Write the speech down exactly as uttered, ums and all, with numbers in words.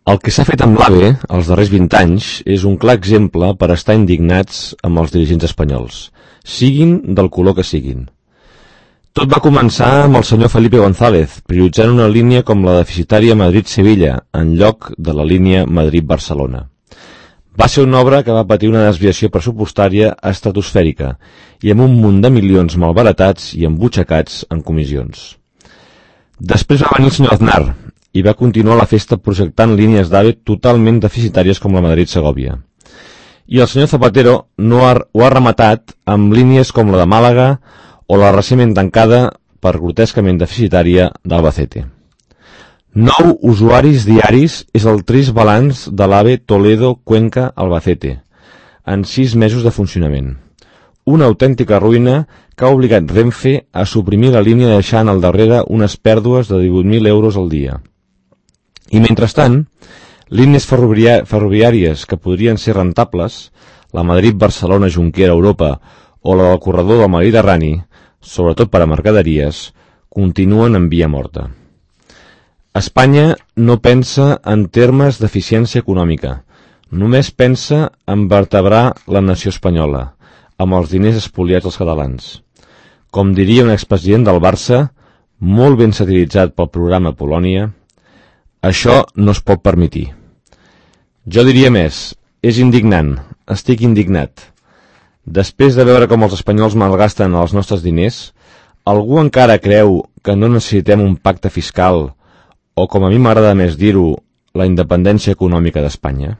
El que s'ha fet amb l'AVE els darrers vint anys és un clar exemple per estar indignats amb els dirigents espanyols, siguin del color que siguin. Tot va començar amb el senyor Felipe González, prioritzant una línia com la deficitària Madrid-Sevilla, en lloc de la línia Madrid-Barcelona. Va ser una obra que va patir una desviació pressupostària estratosfèrica i amb un munt de milions malbaratats i embutxacats en comissions. Després va venir el senyor Aznar i va continuar la festa projectant línies d'AVE totalment deficitàries com la Madrid-Segòvia. I el senyor Zapatero no ha, ho ha rematat amb línies com la de Màlaga o la recentment tancada per grotescament deficitària d'Albacete. Nou usuaris diaris és el trist balanç de l'AVE Toledo-Cuenca-Albacete en sis mesos de funcionament. Una autèntica ruïna que ha obligat Renfe a suprimir la línia deixant al darrere unes pèrdues de divuit mil euros al dia. I mentrestant, línies ferroviàries que podrien ser rentables, la Madrid-Barcelona-Junquera-Europa o la del corredor del Mediterrani, sobretot per a mercaderies, continuen en via morta. Espanya no pensa en termes d'eficiència econòmica, només pensa en vertebrar la nació espanyola, amb els diners espoliats als catalans. Com diria un expresident del Barça, molt ben satiritzat pel programa Polònia, això no es pot permetir. Jo diria més, és indignant, estic indignat. Després de veure com els espanyols malgasten els nostres diners, algú encara creu que no necessitem un pacte fiscal o, com a mi m'agrada més dir-ho, la independència econòmica d'Espanya?